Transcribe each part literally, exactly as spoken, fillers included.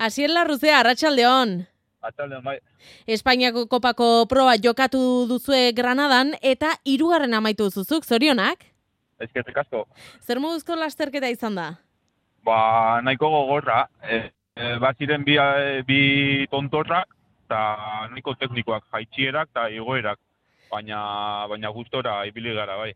Asier Larruzea, arratsaldeon. Arratsaldeon, bai. Espainiako kopako proba jokatu duzue Granadan eta hirugarren amaitu duzuzuk, zorionak? Eskerrik asko. Zer moduzko lasterketa izan da? Ba, nahiko gogorra. E, e, bat ziren bi, bi tontorrak eta nahiko teknikoak, jaitsierak eta igoerak. Baina, baina gustora ibili gara, bai.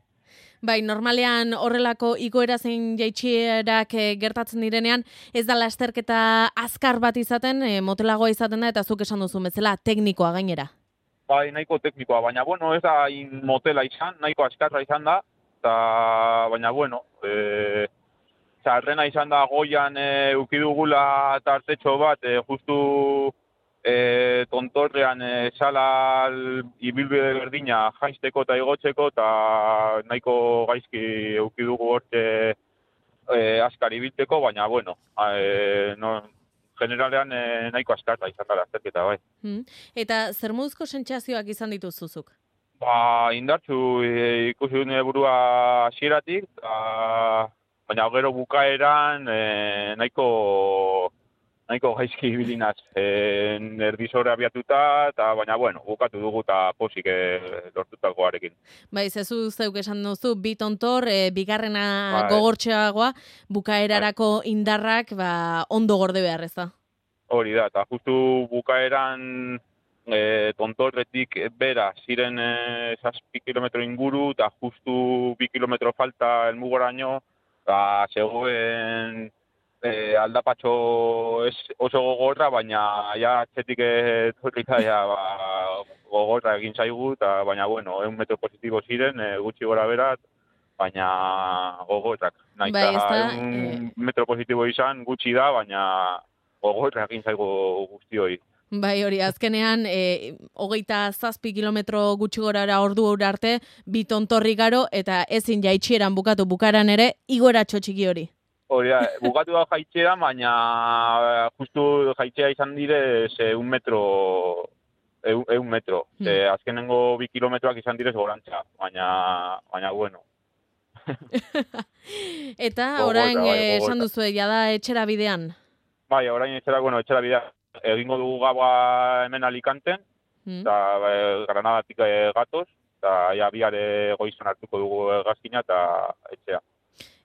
Bai, normalean horrelako igoera zein jaitsierak e, gertatzen direnean, ez da lasterketa azkar bat izaten, e, motelagoa izaten da, eta zuk esan duzu bezala teknikoa gainera. Bai, nahiko teknikoa, baina bueno, ez da in motela izan, nahiko azkarra izan da, eta baina bueno, e, txarrena izan da goian e, ukidugula tartetxo bat, e, justu e, tontorrean e, sala ibilbide berdina jaisteko eta igotzeko, eta nahiko gaizki eukidugu horte e, askar ibilteko, baina bueno, e, no, generalean e, nahiko askarra izan da lasterketa, bai. Hmm. Eta zer moduzko sentsazioak izan dituzuzuk? Ba, indartzu e, ikusi dut nire burua hasieratik, baina gero bukaeran e, nahiko nahiko gaizki ibilinaz, e, erdizora abiatuta, eta baina bueno, bukatu dugu eta posik e, lortutakoarekin. Bai, zezu zeuk esan duzu, bi tontor, e, bigarrena bai. Gogortxeagoa, bukaerarako bai. Indarrak ba, ondo gorde behar, ez da? Hori da, eta justu bukaeran e, tontorretik bera ziren e, zazpi kilometro inguru, eta justu bi kilometro falta elmugoraino, eta zegoen E, aldapatxo ez oso gogorra, baina ja atzetik etorrita ja, ba, gogorra egin zaigu, eta baina bueno, egun metro positibo ziren, e, gutxi gora berat, baina gogorrak. Naita, bai, ez da, egun e... metro positibo izan gutxi da, baina gogorra egin zaigu guztioi. Bai, hori, azkenean, e, hogeita zazpi kilometro gutxi gorara ordu hori arte, bi tontorri garo, eta ezin jaitsieran bukatu bukaran ere, igoratxo txiki hori. Hori da, bukatu da jaitxea, baina justu jaitxea izan dire ze un metro, eun metro. Hmm. Ze azkenengo bi kilometroak izan direz gorantza, baina, baina bueno. Eta orain bai, esan duzu, jada etxera bidean? Bai, orain etxera, bueno, etxera bidean. Egingo dugu gaua hemen Alicanten, eta hmm. Granadatik gatoz, eta ja biare goizan hartuko dugu gazkina eta etxea.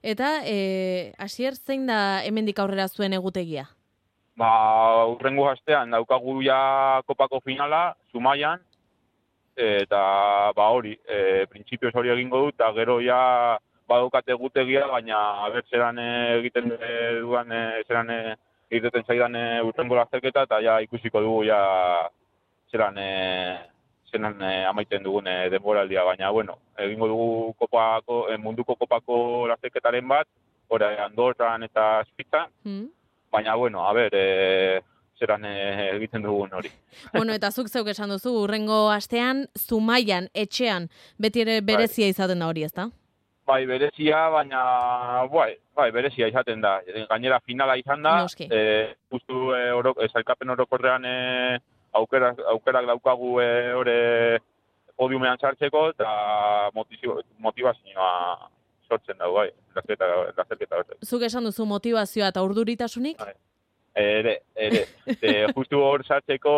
Eta, e, Asier, zein da hemendik aurrera zuen egutegia? Ba, urrengo hastean daukagu ja kopako finala, Zumaian, eta ba hori, e, printzipioz hori egingo dut, eta gero ja badaukat egutegia, baina abertzeran egiten duan, zeran egiten zaidan urrengo lasterketa, eta ja ikusiko dugu ja zeran zenan eh, amaiten dugun eh, denboraldia, baina, bueno, egingo dugu kopako, eh, munduko kopako lasterketaren bat, ora Andorran eta Suitzan, mm. baina, bueno, a ber, eh, zeran eh, egiten dugun hori. Bueno, eta zuk zeuk esan duzu, urrengo astean, Zumaian, etxean, beti ere berezia bai. Izaten da hori, ezta? Bai, berezia, baina, bai, bai, berezia izaten da. Gainera finala izan da, eh, justu eh, oro, eh, zailkapen orokorrean eh, Aukerak, aukerak daukagu hori podiumean sartzeko eta motivazioa sortzen dago, bai, lasterketa horretak. Zuk esan duzu motivazioa eta urduritasunik? Bai. Ere, ere. e, justu hor sartzeko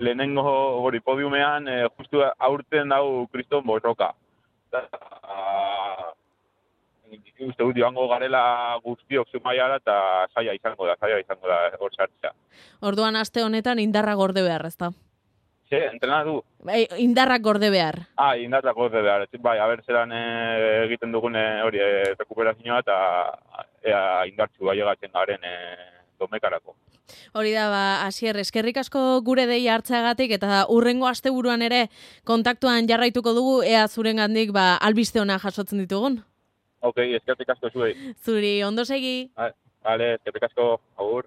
lehenengo hori podiumean, e, justu aurten dau Kriston Borroka. Uste dut joango garela guztiok Zumaiara eta zaila izango da, zaila izango da hor sartzea. Orduan aste honetan indarra gorde behar, ezta? Ze, entrena du? Bai, indarrak gorde behar. Ah, indarrak gorde behar. Bai, haber zelan e, egiten dugun hori e, rekuperazioa eta ea indartzu baiagatzen garen e, domekarako. Hori da, ba, Asier, eskerrik asko gure dei hartzeagatik eta urrengo asteburuan ere kontaktuan jarraituko dugu, ea zurengandik ba, albiste ona jasotzen ditugun. Ok, eskerrik asko zuei. Zuri, ondo segi. Vale, eskerrik asko, agur.